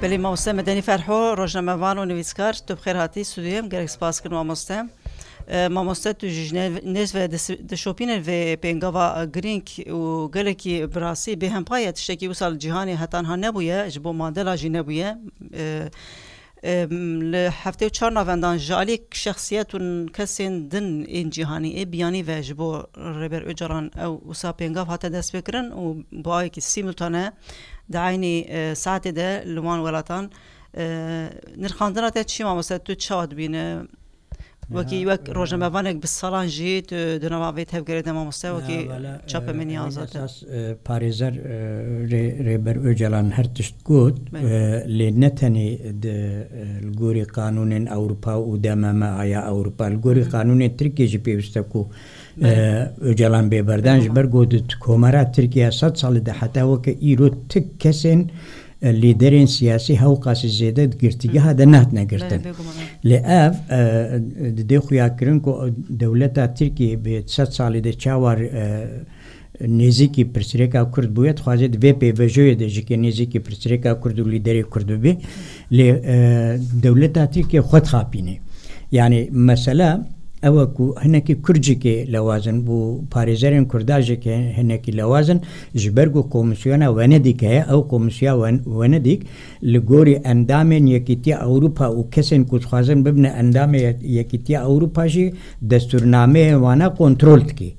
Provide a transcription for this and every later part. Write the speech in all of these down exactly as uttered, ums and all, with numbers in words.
Belê, mamoste Medenî Ferho, rojnamevan û nivîskar, tu bi xêr hatî studyoyê, em gelek spas kirin mamoste. E, mamoste, tu jî ji ne-, nêz ve dis-, dişopînin vê pêngava girîng û gelekî bi rastî bêhempa ye, tiştekî wisa li cîhanê heta niha nebûye, ji bo Mandela jî nebûye. E, e, li heftê û çar navendan ji alî şexsiyet û kesên din ên cîhanî ê biyanî ve ji bo Rêber Ocalan ew wisa pêngav hate destpêkirin û bi awekî simultane di eynî, e, saetê de li wan welatan, e, nirxandina te çi mamoste, tu çawa dibîne? Wekî Ya, wek e, rojnamevanek bi salan jî tu di nava vê tevgerê de mamoste, wekî ya, vala, e, çapemenî hemî azad e. Esas, e, parêzer, e, rê-, Rêber Ocalan her tişt got, Belê. e, lê ne tenê di, e, li gorî qanûnên Ewropa û D M M A ya Ewropa, li gorî Hı hı. qanûnên Tirkiye jî pêwîst e ku Belê. e, Ocalan bê berdan ji Bêguman. ber ku di komara Tirkiye sed salî de heta weke îro ti kesên, e, lîderên siyasî hewqasî zêde di girtîgeha Hı. de nehatine girtin. Belê, bêguman, evet. Lê ev, e, didê xuya kirin ku dewleta Tirkiye bi sed salî de çawa, e, nêzîkî pirsirêka Kurd bûye, dixwaze di vê pêvajoyê de jî ke nêzîkî pirsirêka Kurd û lîderê Kurd bibe. Lê, e, dewleta Tirkiye xwe dixapîne. Yani mesela ew e ku hinekî Kurd jî ke lewaz in û parêzerên Kurda jî ke hinekî lewaz in, ji ber ku komîsyona Wenedîk heye, ew komîsya Wen-, Wenedîk li gorî endamên Yekîtiya Ewropa û kesên ku dixwazin bibine endamê Yek-, Yekîtiya Ewropa jî destûrnameyên wana kontrol dike.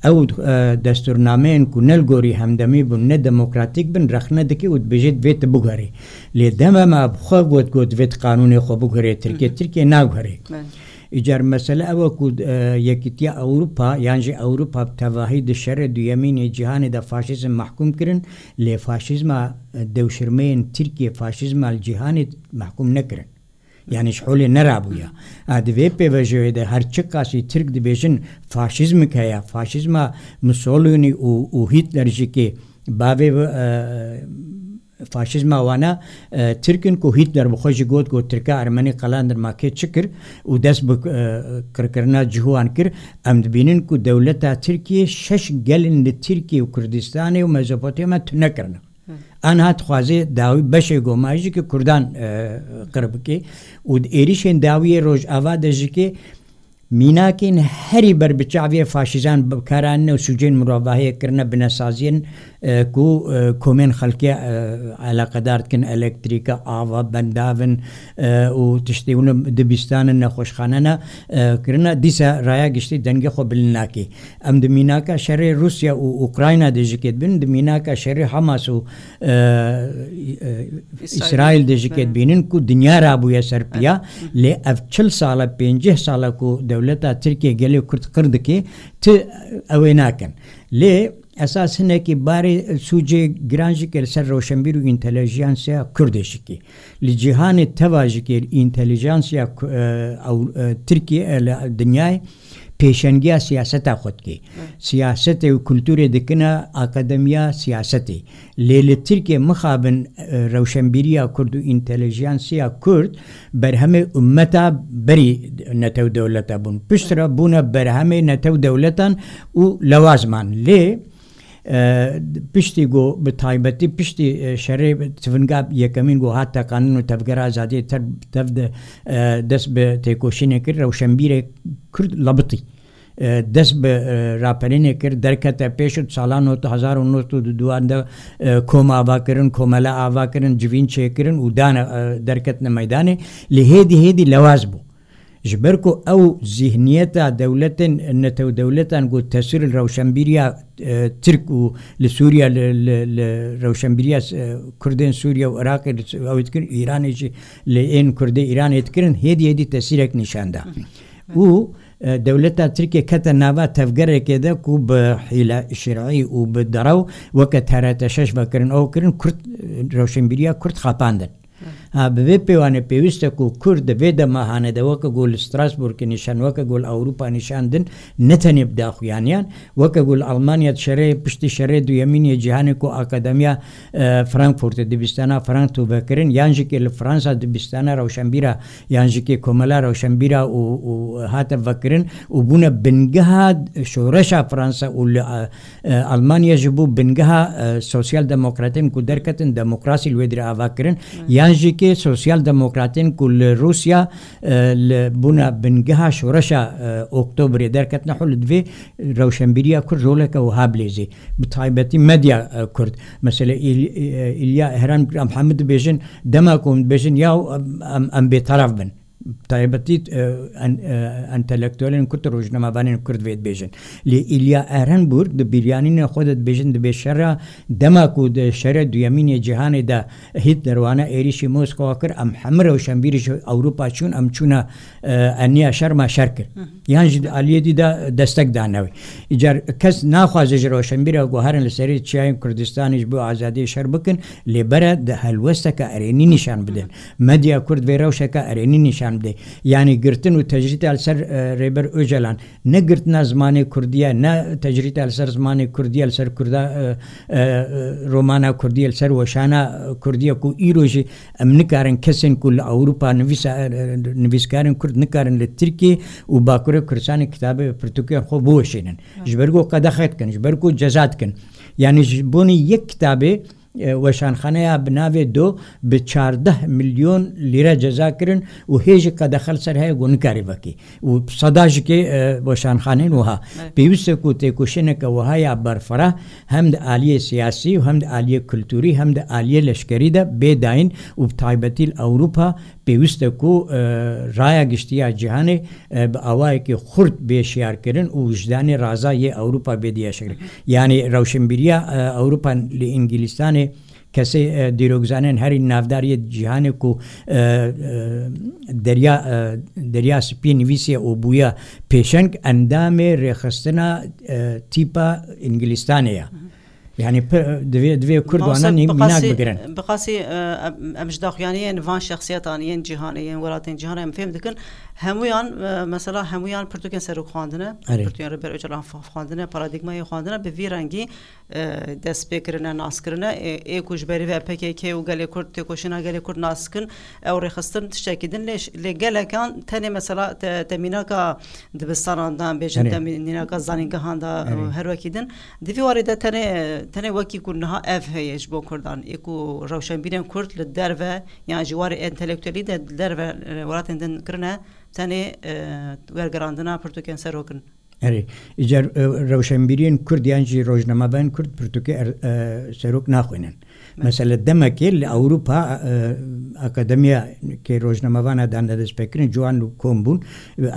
Ew, e, destûrnameyên ku ne li gorî hemdemî bin, ne demokratîk bin, rexne dike û dibêje divê tu biguherî. Lê D M M A bi xwe got, got divê tu qanûnê xwe biguherê Tirkiye, Hı hı. Tirkiye naguherê. Belê. Îcar mesele ew e ku, e, Yekîtiya Ewropa yan jî Ewropa bi tevahî di şerê duyemîn ê cîhanê de faşîzm mehkûm kirin, lê faşîzma, e, dewşirmeyên Tirkiye faşîzma li cîhanê mehkûm nekirin. Yani ji holê nerabûye. A, di vê pêvajoyê de her çiqasî Tirk dibêjin faşîzmik heye, faşîzma Mussolini û, û Hitler jî ki bavê, e, faşîzma wana, e, Tirk in ku Hitler bi xwe jî got, got Tirka Ermenî qelandin ma kê çi kir û dest bi, e, qirkirina cihû wan kir. Em dibînin ku dewleta Tirkiye şeş gelin li Tirkiye û Kurdistanê û Mezopotamya tune kirine. Hı. Anha dixwaze dawî beşê goma jî ki Kurdan, e, qir bike û di êrîşên dawiyê Rojava de jî ki mînakên herî ber bi çaviyê faşîzan bi kar anîne û sûcên mirovahiyê kirine binesaziyên, e, ku, e, komên xelkê, e, eleqedar dikin, elektrîka, ava, bendavin, e, û tiştê hûn dibîstanin, nexweşxanena, e, kirine, dîsa raya giştî dengê xwe bilind nake. Em di mînaka şerê Rûsya û Ukrayna de jî kê dibin, di mînaka şerê Hamas û, e, e, Îsraîl. Îsraîl de jî kê Belê. dibînin ku dinya rabûye ser piya. Evet. Hı. Lê ev çil sal e, pêncî sal e ku dewleta Tirkiye gelê Kurd qir dike, ti ew ê nakin. Lê esas hinekî barê sûcê giran jî kê li ser rewşenbîr û întelijansiya Kurdê jî kê. Li cîhanê teva jî kê întelijansiya Ku-, e, ew, e, Tirkiye, e, li dinyayê pêşengiya siyaseta xwe dike. Evet. Siyasetê û kulturê dikine akademiya siyasetê. Lê li Tirkiye mixabin, e, rewşenbîriya Kurd û întelijansiya Kurd berhemê ummeta berî netew dewleta bûn. Piştre bûne berhemê netew dewletan û lewaz man. Lê, e, piştî ku bi taybetî piştî, e, şerê tivinga yekemîn ku hat teqandin û tevgera azadiyê ter-, tev de, e, dest bi têkoşînê kir, rewşenbîrê Kurd labitî. E, dest bi, e, raperînê kir, derkete pêş û di sala not, hezar û nod û duduan de, e, kom ava kirin, komele ava kirin, civîn çêkirin û dane, e, derketine meydanê. Lê hêdî hêdî lewaz bû. Ji ber ku ew zîhniyeta dewletên netew dewletan ku tesîr li rewşenbîriya, e, Tirk û li Sûriye, li, li, li rewşenbîriya, e, Kurdên Sûriye û Iraqê li ew dikirin, Îranê jî li ên Kurdê Îranê dikirin, hêdî hêdî tesîrek nîşan da. Hı hı. Û, e, dewleta Tirkiye kete nava tevgerekê de ku bi hîle şer'î û bi derew weke T R T şeş vekirin, ew kirin Kurd, e, rewşenbîriya Kurd xapandin. Evet. Ha, bi vê pêwanê pêwîst e ku Kurd di vê dema hanê de weke ku li Strasbourgê nîşan, weke ku li Ewropa nîşan din, ne tenê bi daxuyaniyan, weke ku li Almanya di şerê, piştî şerê duyemîn yê cîhanê ku Akademiya, e, Frankfurtê dibistana Frank tu vekirin, yan jî kê li Fransa dibistana rewşenbîra, yan jî kê komela rewşenbîra û, û hate vekirin û bûne bingeha şoreşa Fransa û li, e, E, Almanya ji bo bingeha, e, sosyal demokratên ku derketin demokrasî li wê dirê ava kirin, yan jî kê sosyal demokratên ku li Rûsya, e, li bûna bingeha şoreşa, e, Oktobrê derketine, hû li divê rewşenbîriya Kurd roleke wiha bilêzê. Bi taybetî medya, e, Kurd. Mesela, İl-, e, İlya Eren, em hemû dibêjin, dema ku hûn dibêjin, ya em, em, em bêteref bin. Taybetî, e, en-, e, entelektuelên Kurd, rojnamevanên Kurd vê dibêjin. Lê Îlya Ehrenburg di bîryanînê xwe de dibêjin, dibê şera, dema ku di şerê duyemîn yê cîhanê de Hitler wana êrîşî Moskowa kir, em hemû rewşenbîrî ji Ewropa çûn, em çûne, e, eniya şer, me şer kir. Yan jî di aliyê dî de destek dane wê. Îcar kes naxwaze ji rewşenbîra guherin li serê çiyayên Kurdistanê ji bo azadiyê şer bikin, lê bere di helwesteke erênî nîşan bidin. Medya Kurd vê rewşeke erênî nîşan bide. Yanî girtin û tecrîta li ser, e, Rêber Ocalan ne girtina zimanê Kurdî ye, ne tecrîta li ser zimanê Kurdî ye, li ser Kurda, e, e, romana Kurdî ye, li ser weşana Kurdî ye ku îro jî em nikarin kesên ku li Ewropa nivîsa-, e, e, nivîskarên Kurd nikarin li Tirkiyê û Bakurê Kurdistanê kitabê pirtûkên xwe biweşînin. Ji ber ku qedexe dikin, ji ber ku ceza dikin. Yanî ji bonê yek kitabê, e, weşanxaneya bi navê Do bi çardeh milyon lîre ceza kirin û hê jî qedexe li ser heye ku nikarî vekî. Û seda ji kê, e, weşanxanên wiha. Evet. Pêwîst e ku têkoşîneke wiha ya berfireh hem di aliyê siyasî û hem di aliyê kulturî hem di aliyê leşkerî de bê dayîn û bi taybetî li Ewropa pêwîst e ku, e, raya giştî ya cîhanê, e, bi awayekî xurt bê şiyarkirin û wijdanê raza yê Ewropa bê diyeşkirin. Yanî rewşenbîriya, e, Ewropa li Îngilîstanê kesê, e, dîrokzanên herî navdar yê cîhanê ku, e, e, Derya, e, Derya Spî nivîsiye û bûye pêşeng, endamê rêxistina, e, tîpa Îngilîstanê ye. Yanî pi-, divê, divê Kurd wana nî-, mînak bigirin. Bi qasî, e, em, em ji daxuyaniyên van şexsiyetan yên cîhanê, yên welatên cîhanê em fêm dikin. Hemûyan, e, mesela hemûyan pirtûkên serok xwandine, Erê. pirtûkên Rêber Ocalan xwandine, paradîgmayê xwandine, bi vî rengî, e, dest pê kirine, nas kirine. Ê, ê ku ji berî ve P K K û gelê Kurd, têkoşîna gelê Kurd nas dikin, ew rêxistin tiştekî din. Lê ş-, lê gelekan tenê mesela te-, te mînaka dibistanan da, bêjin Erê. te mî-, mînaka zanîngehan da, Erê. her wekî din. Di vî warê de tenê, tenê wekî ku niha ev heye ji bo Kurdan. Ê ku rewşenbîrên Kurd li derve, yan ji warê entelektuelî de li derve, e, welatên din kirine, tenê, e, wergerandina pirtûkên serok in. Erê, îcar, e, rewşenbîriyên Kurd yan jî rojnamevanên Kurd pirtûkê er-, e, serok naxwînin. Mesela demekê li Ewropa, e, akademiyakê rojnamevana dane destpêkirin, ciwan û kom bûn.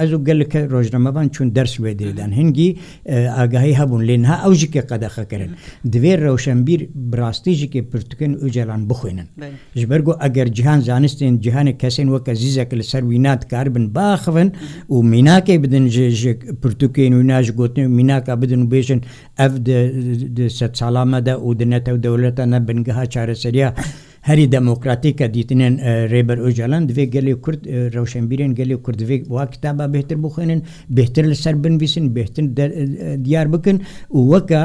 Ez û gelek rojnamevan çûn ders wê dê dan. Hingî, e, agahî hebûn, lê niha ew jî kê qedexe kirin. Divê rewşenbîr bi rastî jî kê pirtûkên Ocalan bixwînin. Belê. Ji ber ku eger cihan, zanistên cihanê kesên weke Zîzek li ser wîna dikaribin biaxivin û mînakê bidin ji, ji pirtûkên wîna, ji gotinên mînaka bidin û bêjin, ev di, di sedsala me de û di netew dewleta ne bingeha çareseriya herî demokratîk e dîtinên, e, Rêber Ocalan, divê gelê Kurd, e, rewşenbîrên gelê Kurd divê wa kitaba bêhtir bixwînin, bêhtir li ser binivîsin, bêhtir de, e, diyar bikin û weke,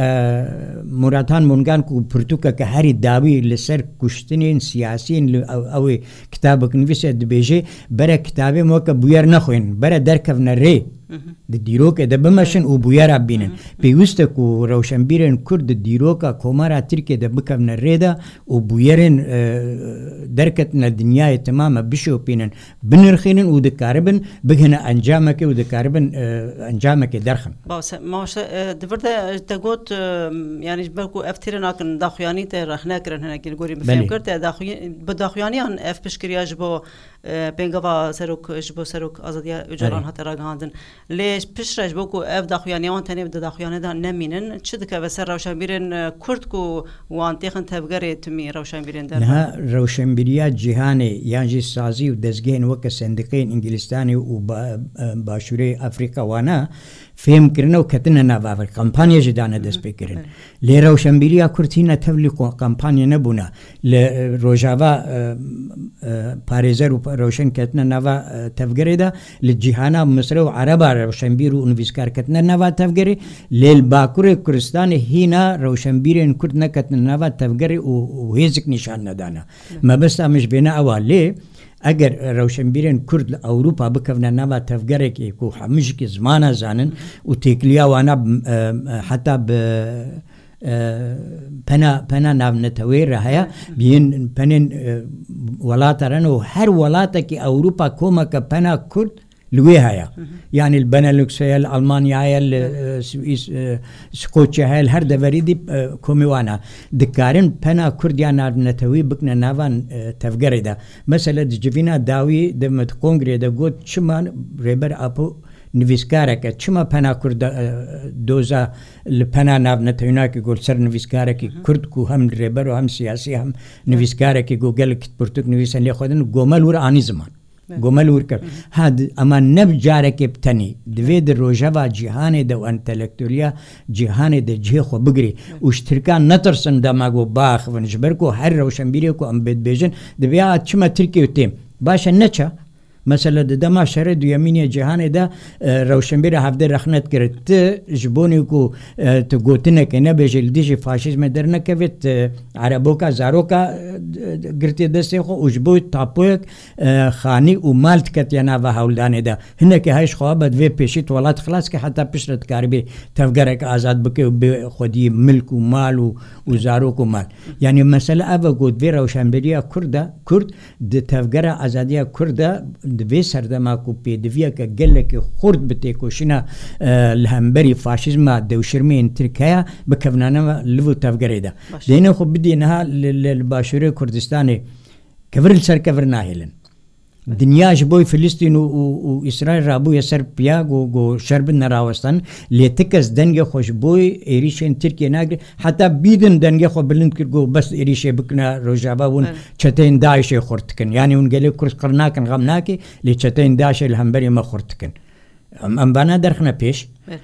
e, Murathan Mungan ku pirtûkeke herî dawî li ser kuştinên siyasiyên li ew, ew ê kitabek nivîse dibêje, bere kitabê me weke bûyer nexwînin, bere derkevne rê. Di dîrokê de bimeşin û bûyera bînin. Pêwîst e ku rewşenbîrên Kurd di dîroka Komara Tirkiyê de bikevne rê de û bûyerên, e, derketine dinyayê temame bişopînin, binirxînin û dikaribin bigihine encamekê û dikaribin, e, encamekê derxin. Baş e, mamoste, e, di vir de te got, e, yanî ji ber ku ev têrê nakin daxuyanî te rexne kirin hinekî li gorî min Belê. fêm kir, te daxuy-, bi daxuyaniyan ev piştgiriya ji bo, e, pêngava serok, ji bo serok Azadiya Ocalan Erê. hate ragihandin. Lê piştre ji bo ku ev daxuyaniya wan tenê di daxuyane de nemînin, çi dikeve ser rewşenbîrên, e, Kurd ku wan têxin tevgerê timî rewşenbîrên derve? Niha rewşenbîriya cîhanê yan jî sazî û dezgehên weke sendîqeyên Îngilîstanê û ba-, e, Başûrê Afrîka wana fêm kirine û ketine nava vir. Kampanya jî dane destpêkirin. Lê rewşenbîriya Kurd hîna tevlî ko-, kampanya nebûne. Li, e, Rojava, e, e, parêzer û pa-, rewşen ketine nava, e, tevgerê de, li cîhana Misre û Ereba rewşenbîr û nivîskar ketine nava tevgerê, lê li Bakurê Kurdistanê hîna rewşenbîrên Kurd neketine nava tevgerê û, û hêzik nîşan nedane. Mebesta min ji bêhna ew a, lê eger rewşenbîrên Kurd li Ewropa bikevne nava tevgerekê ku hemû jî zimana zanin û têkiliya wana, e, e, heta bi, e, pena, pena navneteweyê re heye, bi yên penên, e, welata re ne û her welatekî Ewropa komeke pena Kurd li wê heye. Yanî li Benelux heye, li Almanya heye, li, e, Swîs, e, Skoçya heye, li her deverî dî, e, komê wana. Dikarin pena Kurd ya navnetewî bikine nava, e, tevgerê de. Mesela di civîna dawî de me di kongreyê de got, çima Rêber Apo nivîskarek e, çima pena Kurd, e, doza li pena navnetewî nake, got ser nivîskarekî Kurd ku hem rêber û hem siyasî hem nivîskarekî ku gelek pirtûk nivîse lê xwe din, gomel wir anî ziman. Gomel wir kir. Ha, di-, ema ne bi carekê bi tenî. Divê di rojeva cîhanê de û entelektueliya cîhanê de cihê xwe bigirê. Û ji Tirkan netirsin dema ku biaxivin. Ji ber ku her rewşenbîrê ku em bê dibêjin, dibê, "A, çima Tirkiye têm?" Baş e, neçe? Mesela di dema şerê duyemîn yê cîhanê de, e, rewşenbîra hevdê rexnet kir. Ti ji bonê ku, e, tu gotinekê nebêjî, li dijî faşîzmê dernekevê, ti ereboka, zaroka, e, girtiye destê xwe û ji bo tapoyek, e, xanî û mal diketiye nava hewldanê de. Hinekî hej xwe be, divê pêşî tu welat xilas ke, heta piştre dikaribî tevgerek azad bike û bi xwedî milk û mal û, û zarok û mal. Yanî mesele ev e ku divê rewşenbîriya Kurd e, Kurd di tevgera azadiya Kurd de, di vê serdema ku pêdiviyeke gelekî xurt bi têkoşîna, e, li hemberî faşîzma dewşirmeyên Tirk heye, bikevnane liv û tevgerê de. Baş. Dêne xwe bidî niha li, li, li Başûrê Kurdistanê kevir li ser kevir nahêlin. Dinya ji bo Filistîn û, û, û Îsraîl rabûye ser piya ku, ku şer bidine rawestan, lê ti kes dengê xwe ji bo êrîşên Tirkiye nagire. Heta bîdin dengê xwe bilind kir ku bes êrîşê bikine Rojava, hûn Evet. çeteyên DAIŞê xurt dikin. Yanî hûn gelê Kurd qir nakin, xem nake, lê çeteyên DAIŞê li hemberî me xurt dikin. Em, em vana derxine pêş. Evet.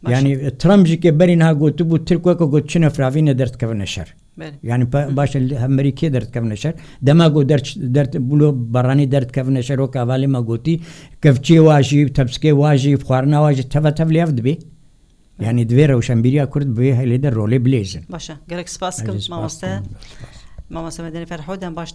Baş. Yanî Trump jî ke berî niha gotibû, Tirk weke got çine firavîne derdikevine şer. Belê. Yanî pe-, baş e, li hemberî kê derdikevine şer? Dema ku der, der, bûlo baranî derdikevine şer, wek avalê me gotî, kevçiyê wa jî, tepsikê wa jî, xwarina wa jî, teve tev lê ev dibê. Yanî divê rewşenbîriya Kurd bi vê helê de rolê bilêzin. Baş e. Gelek spas kim, Ez ê spas mamoste. Kim. Mamoste Medenî Ferhodyan, baş